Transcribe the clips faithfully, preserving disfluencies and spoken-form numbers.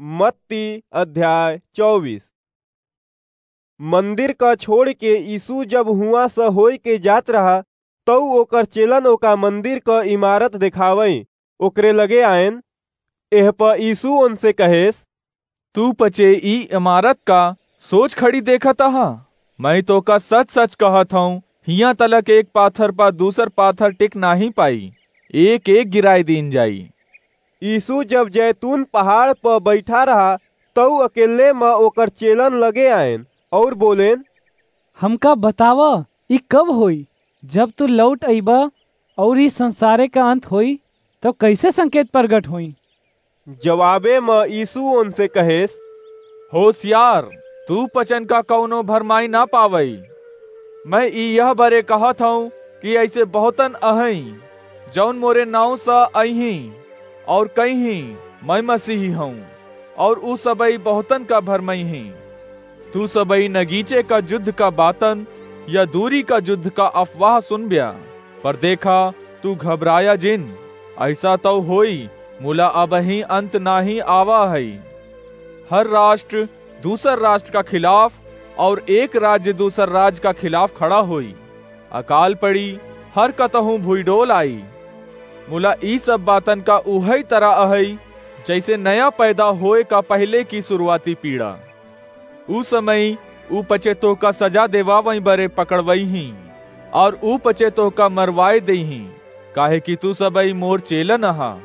मत्ती अध्याय चउबीस। मंदिर क छोड़ के यीशु जब हुआं स होय के जात रहा, तउ ओकर चेलन ओका मंदिर क इमारत देखावइ ओकरे लगे आएन। एह प यीशु ओनसे कहेस, "तू पचे ई इमारत का सोच खड़ी देखत अहा? मैं तोका सच-सच कहत हऊँ, हियाँ तलक एक पाथर प दूसर पाथर टिक नाहीं पाई, एक-एक गिराय दीन जाई।" यीशु जब जैतून पहाड़ प बैठा रहा, तउ अकेले म ओकर चेलन लगे आएन अउर बोलेन, "हमका बतावा, ई कब होई? जब तू लौट अइबा अउर ई संसारे का अंत होई, तब कइसे संकेत प्रगट होई?" जवाबे म यीशु ओनसे कहेस, "होसियार, तू पचन का कउनो भरमाई ना पावई। मैं ई यह बरे कहत हऊँ कि अइसे बहुतन अहईं, जउन मोरे नाउँ स अइहीं अउर कइहीं, 'मैं मसीही हऊँ,' अउर ऊ सबई बहुतन का भरमइहीं। तू सबई नगीचे का जुद्ध का बातन या दूरी का जुद्ध का अफवाह सुनब्या, पर देखा, तू घबराया जिन। अइसा तउ होई, मुला अबहीं अंत नाहीं आवा हई। हर राष्ट्र दूसर राष्ट्र का खिलाफ अउर एक राज्य दूसर राज्य का खिलाफ खड़ा होई। अकाल पड़ी, हर कतहूँ भुइडोल आई। मुला ई सब बातन का उहई तरह अहई, जइसे नया पैदा होए का पहिले की सुरुआती पीड़ा। ऊ समई ऊ पचे तोहका सजा देवावई बरे पकड़वइहीं, अउर ऊ पचे तोहका मरवाय देइहीं, काहे कि तू सबई मोर चेलन अहा।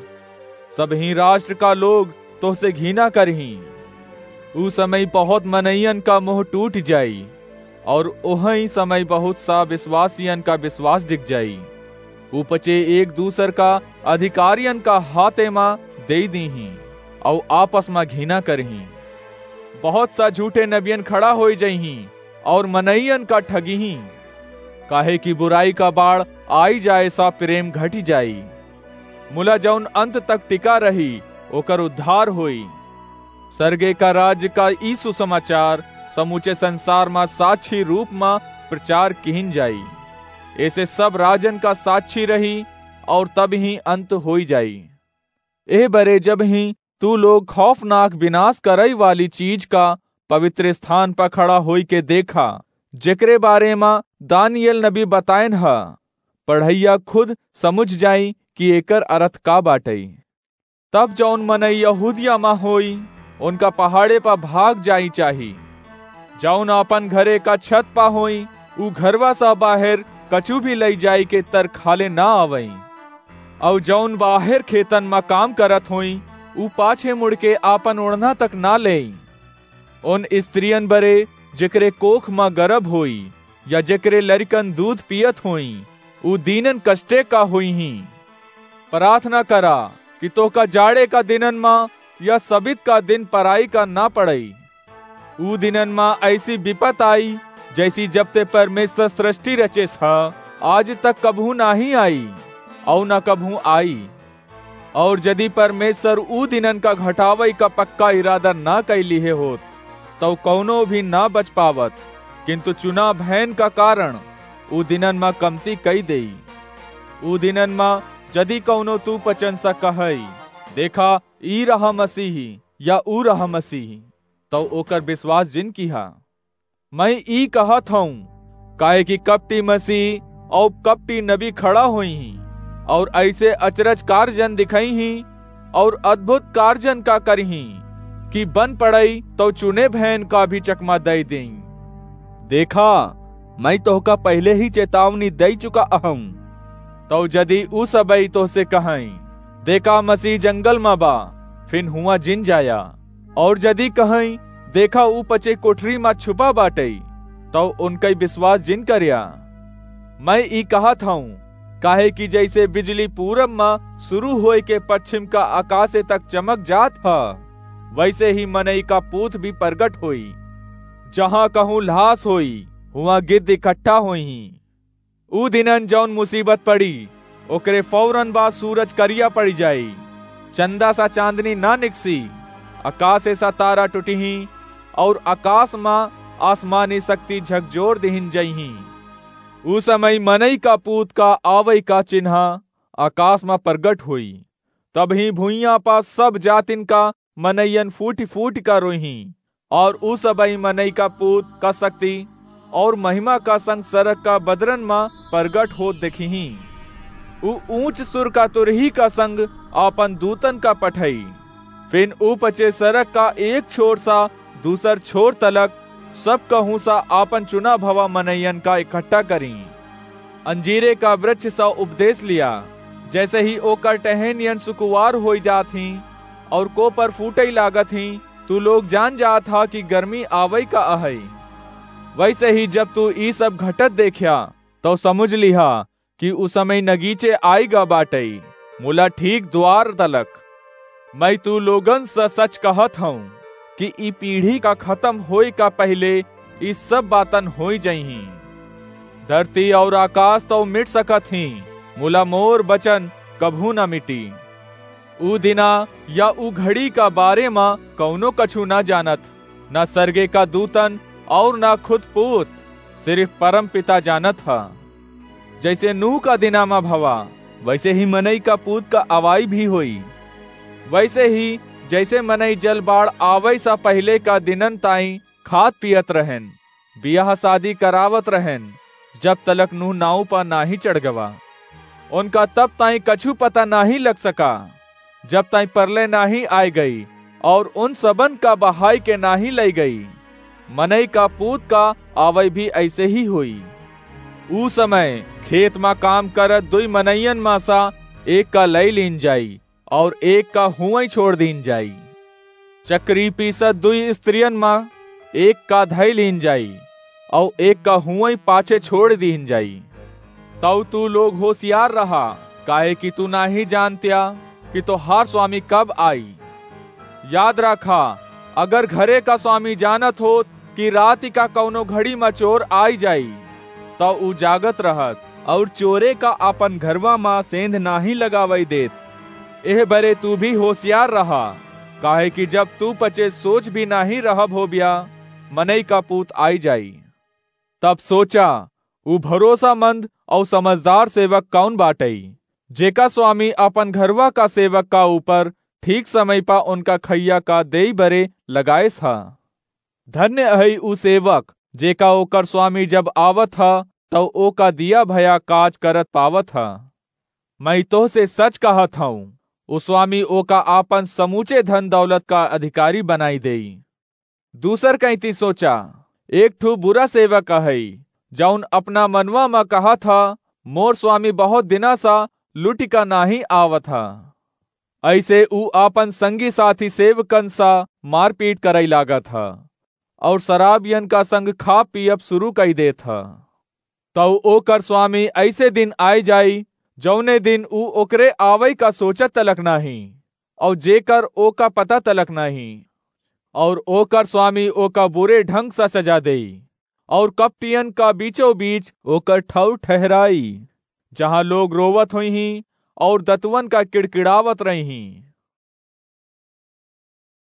सबहीं राष्ट्र का लोग तोहसे घिना करिहीं। ऊ समई बहुत मनइयन का मोह टूट जाई, अउर ओहई समई बहुत सा बिसवासियन का बिसवास डिग जाई। ऊ पचे एक दूसर का अधिकारियन का हाथे मा देइ दीहीं, अउर आपस मा घिना करिहीं। बहुत सा झूठे नबियन खड़ा होई जइहीं अउर मनइयन का ठगिहीं, काहे कि बुराई का बाढ़ आई जाए सा प्रेम घटि जाई। मुला जउन अंत तक टिका रही, ओकर उद्धार होई। सरगे का राज्य का ई सुसमाचार समूचे संसार मा साक्षी रूप मा प्रचार किहिन जाई। एसे सब राजन का साक्षी रही अउर तब ही अंत होई जाई। एह बरे जब ही तू लोग खौफनाक विनाश करई वाली चीज का पवित्र स्थान पर खड़ा होई के देखा, जेकरे बारे मा दानिय्येल नबी बतायन ह, पढ़इया खुद समुझ जाई कि एकर अरथ का बाटई। तब जउन मनई यहूदिया मा होई, उनका पहाड़े पर भाग जाई चाही। जउन आपन घरे का छत पा होई, ऊ घरवा सा बाहेर कछु भी लई जाई के तर खाले ना आवई। अउर जउन बाहेर खेतन मा काम करत होई, ऊ पाछे मुड़ के आपन ओढ़ना तक ना लेई। उन स्त्रियन बरे, जेकरे कोख मा गरभ होई, या जेकरे लरिकन दूध पियत होई, ऊ दीनन कष्टे का होइहीं। प्रार्थना करा कि तोहका जाड़े का दिनन मा या सबित का दिन पराई का ना पड़ई। ऊ दिनन मा अइसी बिपत आई, जइसी जब ते परमेश्वर सृष्टि रचेस ह, आज तक कबहूँ नाहीं आई, अउर न कबहूँ आई। अउर यदि परमेश्वर ऊ दिनन का घटावई का पक्का इरादा ना कइ लिहे होत, तउ कउनो भी ना बच पावत, किंतु चुना भयन का कारण ऊ दिनन मा कमती कइ देई। ऊ दिनन मा यदि कउनो तू पचन सा कहई, "देखा, ई रहा मसीही," या "ऊ रहा मसीही," तउ ओकर बिसवास जिन किहा। मैं ई कहत हऊँ, काहे कि कपटी मसीह अउर कपटी नबी खड़ा होइहीं, अउर अइसे अचरज कारजन दिखइहीं, अउर अद्भुत कारजन का करिहीं, कि बन पड़ई तउ चुने भयन का भी चकमा दइ देई। देखा, मैं तोहका पहिले ही चेतावनी दइ चुका अहऊँ। तउ यदि उ सबई तोहसे कहईं, "देखा, मसीह जंगल मा बा," फिन हुआं जिन जाया। अउर यदि कहईं, "देखा, ऊ पचे कोठरी मा छुपा बाटई," तउ उनकई बिसवास जिन करया। मैं ई कहत हऊँ, काहे कि जइसे बिजली पूरब मा सुरू होय के पच्छिम का अकासे तक चमक जात ह, वइसे ही मनई का पूत भी परगट होई। जहाँ कहूँ ल्हास होई, हुआं गिद्ध इकट्ठा होइहीं। ऊ दिनन जउन मुसीबत पड़ी, ओकरे फौरन बाद सूरज करिया पड़ि जाई, चंदा सा चांदनी ना निकसी, अकासे सा तारा टुटिहीं, अउर अकास मा आसमानी सक्ति झकझोर दिहिन जइहीं। ऊ समई मनई का पूत का आवई का चिन्हा अकास मा परगट होई। तबहीं भुइयां पा सब जातिन का मनइयन फूटि फूटि का रोइहीं, और ऊ सबई मनई का पूत का शक्ति और महिमा का संग सरग का बदरन मा परगट होत देखिहीं। ऊ ऊंच सुर का तुरही का संग आपन दूतन का पठई। फिन ऊ पचे सरग का एक छोर सा दूसर छोर तलक सब कहूं सा आपन चुना भवा मनइयन का इकट्ठा करीं। अंजीरे का वृक्ष सा उपदेश लिया, जैसे ही ओकर टहनियन सुकुवार होई जात हीं और कोपर फूटई लागत हीं, तू लोग जान जात हा कि गर्मी आवई का अहई। वैसे ही जब तू ई सब घटत देख्या, तो समुझ लिहा कि उ समय नगीचे आइगा बाटई, मुला ठीक द्वार तलक। मैं तू लोगन स सच कहत हूँ कि ई पीढ़ी का खतम होए का पहिले ई सब बातन होई जइहीं। धरती और आकाश तो मिट सकत हीं, मुला मोर बचन कभू न मिटी। ऊ दिना या ऊ घड़ी का बारे मा कउनो कछु ना जानत, ना सरगे का दूतन और ना खुद पूत, सिर्फ परम पिता जानत ह। जैसे नूह का दिना मा भवा, वैसे ही मनई का पूत का आवाई भी होई। वैसे ही जैसे मनई जल बाढ़ आवै सा पहिले का दिनन ताई खात पियत रहेन, बियाह शादी करावत रहेन, जब तलक नूह नाव पा नाहीं चढ़ गवा। उनका तब ताई कछु पता नाहीं लग सका, जब ताई परलय नाहीं आय गई और उन सबन का बहाई के नाहीं लई गई। मनई का पूत का आवै भी ऐसे ही होई। ऊ समय खेत मा काम करत दुई मनइयन मा सा एक का लई लीन जाई और एक का हुवई छोड़ दीन जाई। चक्री पीसत दुई स्त्रियन मा एक का धई लीन जाई और एक का हुवई पाछे छोड़ दीन जाई। तौ तू लोग होशियार रहा, काहे कि तू नाहीं जानत्या कि तोहार स्वामी कब आई। याद रखा, अगर घरे का स्वामी जानत होत कि राति का कउनो घड़ी मा चोर आई जाई, तौ ऊ जागत रहत और चोरे का आपन घरवा मा सेंध नाहीं लगावई देत। एह बरे तू भी होशियार रहा, काहे कि जब तू पचे सोच भी नाहीं रहब होब्या, मनई का पूत आई जाई। तब सोचा, ऊ भरोसामंद और समझदार सेवक कौन बाटई, जेका स्वामी आपन घरवा का सेवक का ऊपर ठीक समय पा उनका खइया का देई बरे लगाएस ह। धन्य अहई ऊ सेवक, जेका ओकर स्वामी जब आवत ह, तौ ओका दिया भया काज करत पावत ह। मैं तोहसे सच कहत हूँ, ऊ स्वामी ओका आपन समूचे धन दौलत का अधिकारी बनाई देई। दूसर कैंती सोचा, एक ठू बुरा सेवक अहई, जौन अपना मनवा म कहत ह, मोर स्वामी बहुत दिना सा लुटि का नाहीं आवत ह। ऐसे ऊ आपन संगी साथी सेवकन सा मारपीट करई लागत ह और शराबियन का संग खा पियब शुरू कई देत ह। तौ ओकर स्वामी ऐसे दिन आय जाई, जौने दिन ऊ ओकरे आवई का सोचत तलक नाहीं, और जेकर ओका पता तलक नाहीं, और ओकर स्वामी ओका बुरे ढंग सा सजा देई, और कपटियन का बीचों बीच ओकर ठौर ठहराई, जहाँ लोग रोवत होइहीं और दतुवन का किड़किड़ावत रहिहीं।